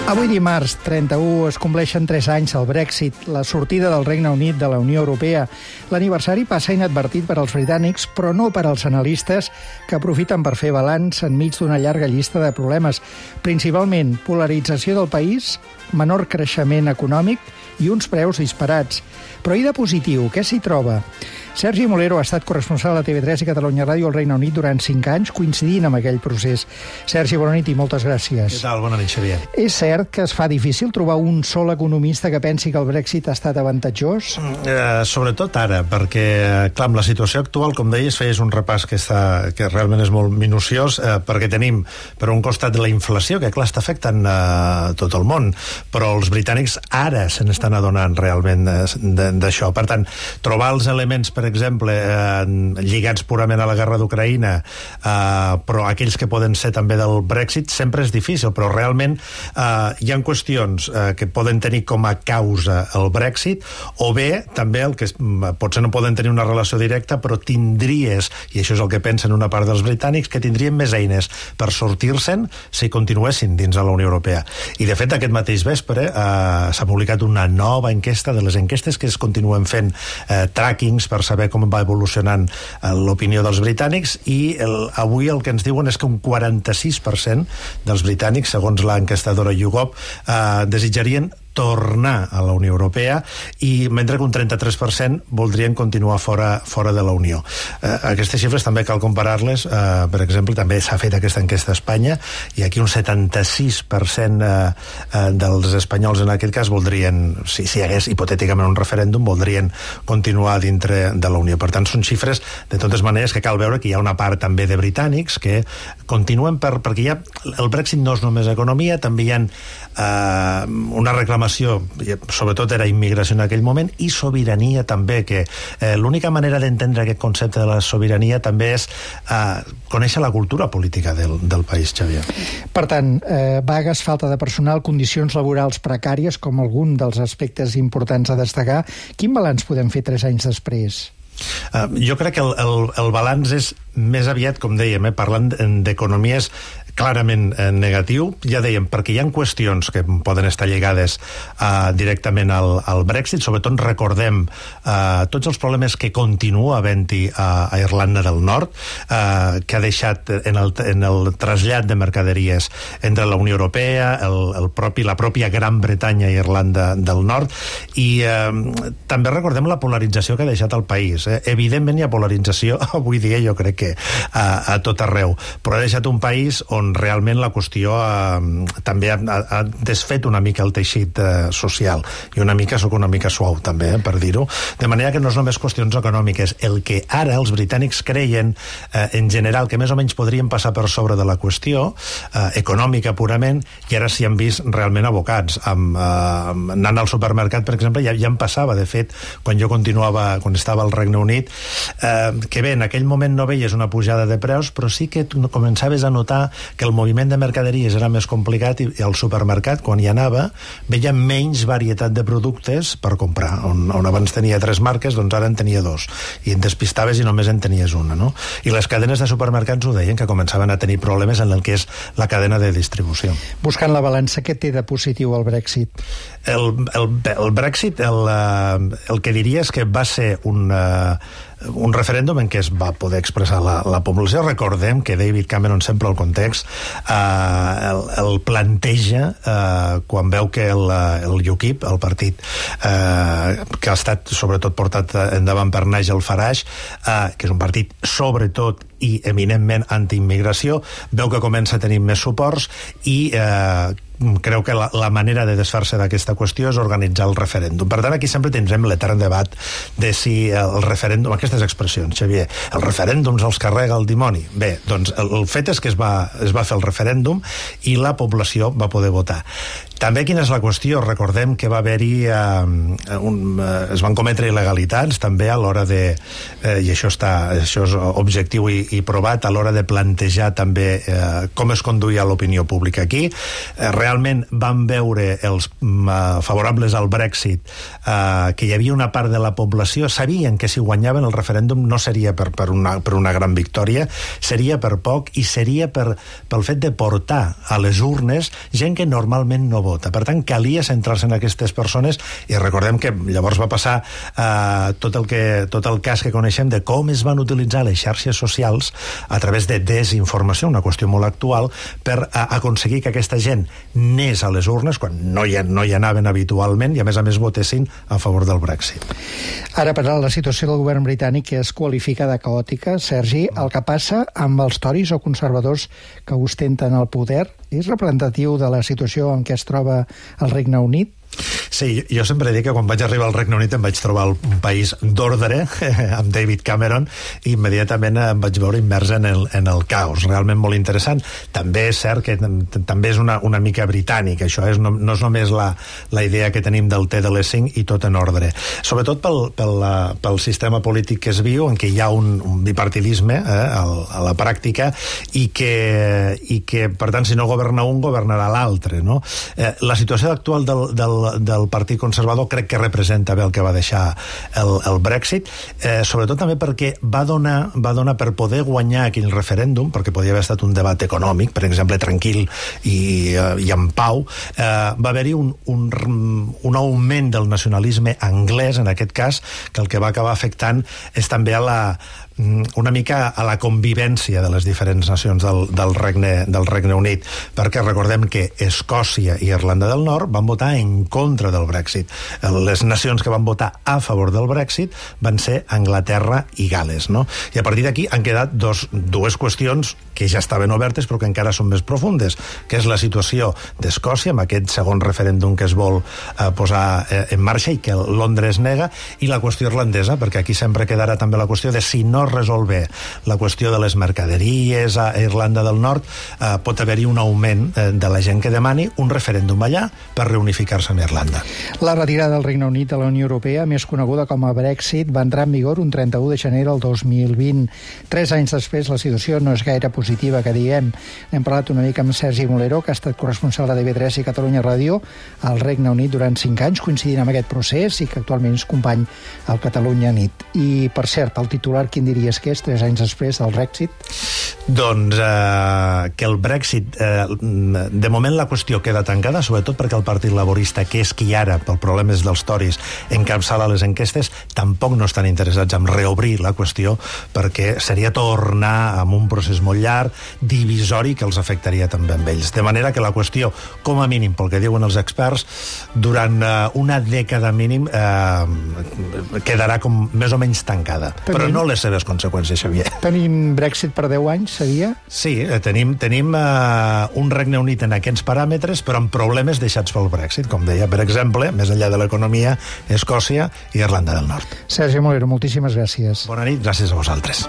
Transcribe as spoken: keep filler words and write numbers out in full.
Avui dimarts, trenta-u, es compleixen tres anys al Brexit, la sortida del Regne Unit de la Unió Europea. L'aniversari passa inadvertit per als britànics, però no per als analistes que aprofiten per fer balanç enmig d'una llarga llista de problemes. Principalment, polarització del país, menor creixement econòmic i uns preus disparats. Però i de positiu, què s'hi troba? Sergi Molero ha estat corresponsal a T V tres i Catalunya Ràdio al Regne Unit durant cinc anys, coincidint amb aquell procés. Sergi, bona nit i moltes gràcies. Què tal? Bona nit, Xavier. És cert que es fa difícil trobar un sol economista que pensi que el Brexit ha estat avantatjós? Eh, sobretot ara, perquè, clar, amb la situació actual, com deies, feies un repàs que, està, que realment és molt minuciós, eh, perquè tenim, per un costat, la inflació, que, clar, està afectant eh, tot el món, però els britànics ara se n'estan adonant realment d'això. Per tant, trobar els elements, per exemple, eh, lligats purament a la guerra d'Ucraïna, eh, però aquells que poden ser també del Brexit, sempre és difícil, però realment eh, hi ha qüestions eh, que poden tenir com a causa el Brexit, o bé, també, el que potser no poden tenir una relació directa, però tindries, i això és el que pensen una part dels britànics, que tindrien més eines per sortir-se'n si continuessin dins de la Unió Europea. I, de fet, aquest mateix vespre eh, s'ha publicat una nova enquesta, de les enquestes que es continuen fent eh, trackings per saber com va evolucionant eh, l'opinió dels britànics, i el, avui el que ens diuen és que un quaranta-sis per cent dels britànics, segons l'enquestadora YouGov, eh, desitjarien tornar a la Unió Europea, i mentre que un trenta-tres per cent voldrien continuar fora, fora de la Unió. Eh, aquestes xifres també cal comparar-les, eh, per exemple, també s'ha fet aquesta enquesta a Espanya, i aquí un setanta-sis per cent eh, eh, dels espanyols en aquest cas voldrien, si, si hi hagués hipotèticament un referèndum, voldrien continuar dintre de la Unió. Per tant, són xifres, de totes maneres, que cal veure que hi ha una part també de britànics que continuen per, perquè ja el Brexit no és només economia, també hi ha eh, una reclamació, sobretot era immigració en aquell moment, i sobirania també, que eh, l'única manera d'entendre aquest concepte de la sobirania també és eh, conèixer la cultura política del, del país, Xavier. Per tant, eh, vagues, falta de personal, condicions laborals precàries, com algun dels aspectes importants a destacar. Quin balanç podem fer tres anys després? Uh, jo crec que el, el, el balanç és més aviat, com dèiem, eh, parlant d'economies clarament eh, negatiu, ja dèiem, perquè hi ha qüestions que poden estar lligades eh, directament al, al Brexit. Sobretot recordem eh, tots els problemes que continua havent-hi a, a Irlanda del Nord, eh, que ha deixat en el, en el trasllat de mercaderies entre la Unió Europea, el, el propi, la pròpia Gran Bretanya i Irlanda del Nord, i eh, també recordem la polarització que ha deixat el país. Eh? Evidentment hi ha polarització avui dia, jo crec que a, a tot arreu, però ha deixat un país on realment la qüestió eh, també ha, ha desfet una mica el teixit eh, social, i una mica, soc una mica suau també, eh, per dir-ho, de manera que no és només qüestions econòmiques. El que ara els britànics creien eh, en general que més o menys podrien passar per sobre de la qüestió eh, econòmica purament, i ara s'hi han vist realment abocats. Amb, eh, anant al supermercat, per exemple, ja, ja em passava, de fet, quan jo continuava, quan estava al Regne Unit, eh, que bé, en aquell moment no veies una pujada de preus, però sí que començaves a notar que el moviment de mercaderies era més complicat, i al supermercat, quan hi anava, veia menys varietat de productes per comprar. On, on abans tenia tres marques, doncs ara en tenia dos, i en despistaves i només en tenies una, no? I les cadenes de supermercats ho deien, que començaven a tenir problemes en el que és la cadena de distribució. Buscant la balança, què té de positiu el Brexit? El, el, el Brexit, el, el que diria és que va ser un... un referèndum en què es va poder expressar la, la població. Recordem que David Cameron, sempre al context, eh, el, el planteja eh, quan veu que el, el U K I P, el partit eh, que ha estat sobretot portat endavant per Nigel Farage, eh, que és un partit sobretot i eminentment antiimmigració, veu que comença a tenir més suports, i eh, creu que la, la manera de desfer-se d'aquesta qüestió és organitzar el referèndum. Per tant, aquí sempre tindrem l'etern debat de si el referèndum, aquestes expressions, Xavier, el referèndum els carrega el dimoni. Bé, doncs el, el fet és que es va, es va fer el referèndum i la població va poder votar. També quina és la qüestió? Recordem que va haver-hi eh, un, eh, es van cometre il·legalitats també a l'hora de, eh, i això està, això és objectiu i, i provat, a l'hora de plantejar també eh, com es conduïa l'opinió pública aquí. Eh, realment van veure els uh, favorables al Brexit uh, que hi havia una part de la població, sabien que si guanyaven el referèndum no seria per, per, una, per una gran victòria, seria per poc i seria per, pel fet de portar a les urnes gent que normalment no vota. Per tant, calia centrar-se en aquestes persones i recordem que llavors va passar uh, tot, el que, tot el cas que coneixem de com es van utilitzar les xarxes socials a través de desinformació, una qüestió molt actual, per uh, aconseguir que aquesta gent anés a les urnes quan no hi, no hi anaven habitualment i a més a més votessin a favor del Brexit. Ara, però, la situació del govern britànic es qualifica de caòtica. Sergi, el que passa amb els tories o conservadors que ostenten el poder és representatiu de la situació en què es troba el Regne Unit? Sí, jo sempre dic que quan vaig arribar al Regne Unit em vaig trobar un país d'ordre amb David Cameron i immediatament em vaig veure immers en el, en el caos, realment molt interessant. També és cert que també és una, una mica britànic, això és, no, no és només la, la idea que tenim del té de les cinc i tot en ordre. Sobretot pel, pel, pel sistema polític que es viu, en què hi ha un, un bipartidisme eh, a, a la pràctica i que, i que, per tant, si no governa un, governarà l'altre, no? Eh, la situació actual del, del del Partit Conservador crec que representa bé el que va deixar el, el Brexit, eh, sobretot també perquè va donar, va donar per poder guanyar aquell referèndum, perquè podia haver estat un debat econòmic, per exemple, tranquil i, eh, i en pau, eh, va haver-hi un, un, un augment del nacionalisme anglès, en aquest cas, que el que va acabar afectant és també a la una mica a la convivència de les diferents nacions del, del, Regne, del Regne Unit, perquè recordem que Escòcia i Irlanda del Nord van votar en contra del Brexit. Les nacions que van votar a favor del Brexit van ser Anglaterra i Gales, no? I a partir d'aquí han quedat dos, dues qüestions que ja estaven obertes però que encara són més profundes, que és la situació d'Escòcia amb aquest segon referèndum que es vol eh, posar eh, en marxa i que Londres nega, i la qüestió irlandesa, perquè aquí sempre quedarà també la qüestió de si no resolver la qüestió de les mercaderies a Irlanda del Nord, eh, pot haver-hi un augment eh, de la gent que demani un referèndum allà per reunificar-se amb Irlanda. La retirada del Regne Unit de la Unió Europea, més coneguda com a Brexit, va entrar en vigor un trenta-u de gener del dos mil vint. Tres anys després la situació no és gaire positiva, que diguem. Hem parlat una mica amb Sergi Molero, que ha estat corresponsal de T V tres i Catalunya Ràdio al Regne Unit durant cinc anys, coincidint amb aquest procés, i que actualment és company al Catalunya Nit. I, per cert, el titular, quin diries que és, tres anys després del Brexit? Doncs eh, que el Brexit, eh, de moment la qüestió queda tancada, sobretot perquè el Partit Laborista, que és qui ara, pel problemes dels tories, encapçala les enquestes, tampoc no estan interessats en reobrir la qüestió, perquè seria tornar amb un procés molt llarg, divisori, que els afectaria també amb ells. De manera que la qüestió, com a mínim, pel que diuen els experts, durant eh, una dècada mínim eh, quedarà com més o menys tancada. Tenim, però no les seves conseqüències, Xavier. Tenim Brexit per deu anys, seria? Sí, eh, tenim, tenim eh, un Regne Unit en aquests paràmetres, però amb problemes deixats pel Brexit, com deia, per exemple, més enllà de l'economia, Escòcia i Irlanda del Nord. Sergi Molero, moltíssimes gràcies. Bona nit, gràcies a vosaltres.